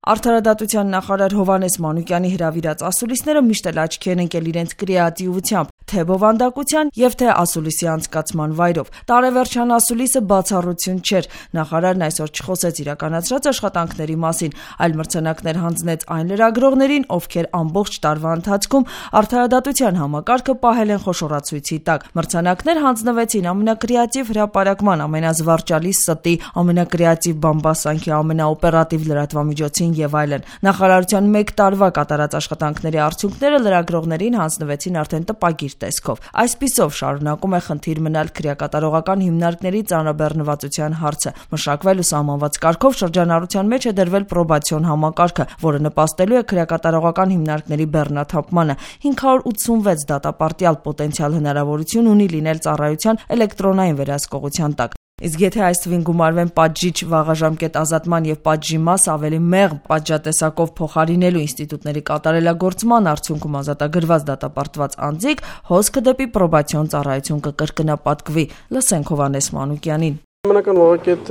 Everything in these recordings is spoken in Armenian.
Արդարադատության նախարար Հովհաննես Մանուկյանի հրավիրած ասուլիսները միշտ էլ աչքի են ընկել իրենց կրեատիվությամբ, թե բովանդակության եւ թե ասուլիսի անցկացման վայրով։ Տարեվերջյան ասուլիսը բացառություն չէր։ Նախարարն այսօր չխոսեց իրականացրած աշխատանքների մասին, այլ մրցանակներ հանձնեց այն լրագրողներին, ովքեր ամբողջ տարվա ընթացքում արդարադատության համակարգը պահել են խոշորացույցի տակ։ Մրցանակներ հանձնվեցին ամենակրեատիվ հրապարակման, ամենազվարճալի ստի, ամենակրեատիվ բամբասանքի, ամենաօպերատիվ լրատվամիջոցին եւ այլն։ Նախարարության 1 տարվա կատարած աշխատանքների արդյունքները լրագրողներին հանձնվեցին արդեն տպագիր տեսքով։ Այսպիսով շարունակում է խնդիր մնալ քրեակատարողական հիմնարկների ծանրաբեռնվածության հարցը։ Մշակվել ու սահմանված կարգով շրջանառության մեջ է դրվել պրոբացիոն համակարգը, որը նպաստելու է քրեակատարողական հիմնարկների բեռնաթափմանը։ 586 դատապարտյալ պոտենցիալ հնարավորություն ունի լինել ծառայության էլեկտրոնային վերահսկողության տակ։ Իսկ եթե այս թվին գումարվեն պատժիչ վաղաժամկետ ազատման եւ պատժի մաս ավելի մեղմ պատժատեսակով փոխարինելու ինստիտուտների կատարելագործման արդյունքում ազատագրված դատապարտված անձիկ, հոսքը դեպի պրոբացիոն ծառայություն կկրկնապատկվի։ Լսենք Հովհաննես Մանուկյանին։ Նմանական վաղակետ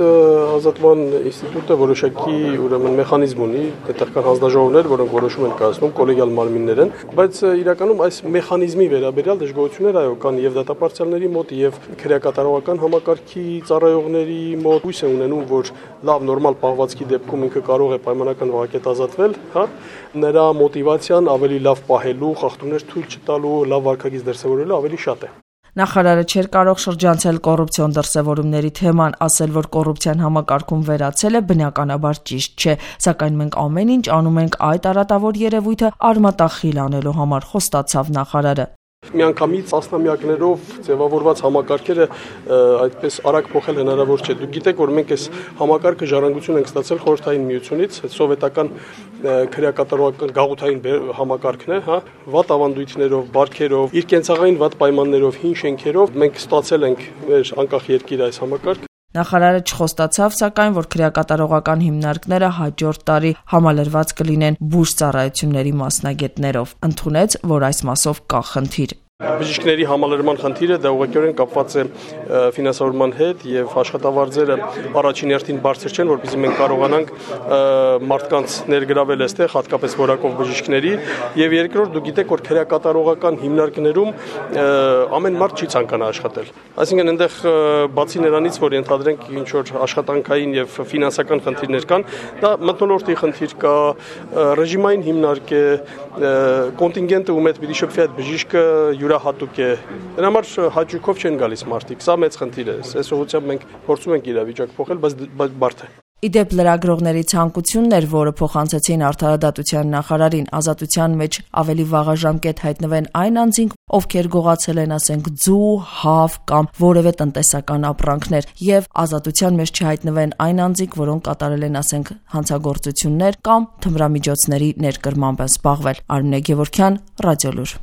ազատման ինստիտուտը որոշակի մեխանիզմ ունի, տեղական հանձնաժողովներ, որոնք որոշում են կայացնում, կոլեգիալ մարմիններ են, բայց իրականում այս մեխանիզմի վերաբերյալ դժգոհություններ այո կան եւ դատապարտյալների մոտ եւ քրեակատարողական համակարգի ծառայողների մոտ հույս է ունենում, որ լավ նորմալ պահվածքի դեպքում ինքը կարող է պայմանական վաղակետ ազատվել, նրա մոտիվացիան ավելի լավ պահելու, խախտումներ թույլ չտալու, լավ վարքագիծ դրսևորելու ավելի շատ է։ Նախարարը չէր կարող շրջանցել կոռուպցիոն դրսևորումների թեման, ասել, որ կոռուպցիան համակարգում վերացել է, բնականաբար ճիշտ չէ, սակայն մենք ամեն ինչ անում ենք այդ արատավոր երևույթը արմատախիլ անելու համար, խոստացավ նախարարը։ Միանգամից տասնամյակներով ձևավորված համակարգերը այդպես արագ փոխել հնարավոր չէ։ Դուք գիտեք, որ մենք այս համակարգը ժառանգություն ենք ստացել Խորհրդային Միությունից, սովետական քրեակատարողական գաղութային համակարգն է, վատ ավանդույթներով, բարքերով, իր կենցաղային վատ պայմաններով, հին շենքերով մենք ստացել ենք մեր անկախ երկիրը այս համակարգը։ Նախարարը չխոստացավ, սակայն, որ քրեակատարողական հիմնարկները հաջորդ տարի համալրված կլինեն բուժծառայությունների մասնագետներով։ Ընդունեց, որ այս մասով կա խնդիր։ Բժիշկների համալրման խնդիրը դա ուղղակիորեն կապված է ֆինանսավորման հետ եւ աշխատավարձերը առաջին հերթին բարձր չեն, որպեսզի մենք կարողանանք մարդկանց ներգրավել այստեղ, հատկապես որակով բժիշկների, եւ երկրորդ դուք գիտեք, որ քրեակատարողական հիմնարկներում ամեն մարդ չի ցանկանա աշխատել։ Այսինքն այնտեղ բացի նրանից, որ ենթադրենք ինչ որ աշխատանքային եւ ֆինանսական խնդիրներ կան, դա մթնոլորտի խնդիր կա, ռեժիմային հիմնարկ է, կոնտինգենտը ում հետ պիտի շփվի այդ բժիշկը յուրահատուկ է։ Դրա համար հաճույքով չեն գալիս մարդիկ։ Սա մեծ խնդիր է։ Այս ուղղությամբ մենք փորձում ենք իրավիճակ փոխել, բայց բարդ է։ Իդեպ լրագրողների ցանկությունն էր, որը փոխանցեցին արդարադատության նախարարին, ազատության մեջ ավելի վաղաժամկետ հայտնվեն այն անձինք, ովքեր գողացել են, ասենք, ձու, հավ կամ որևէ տնտեսական ապրանքներ, եւ ազատության մեջ չհայտնվեն այն անձինք, որոնք կատարել են, ասենք, հանցագործություններ կամ թմրամիջոցների ներկրմամբ են զբաղվել։ Արմինե Գևորգյան, Ռադիոլուր։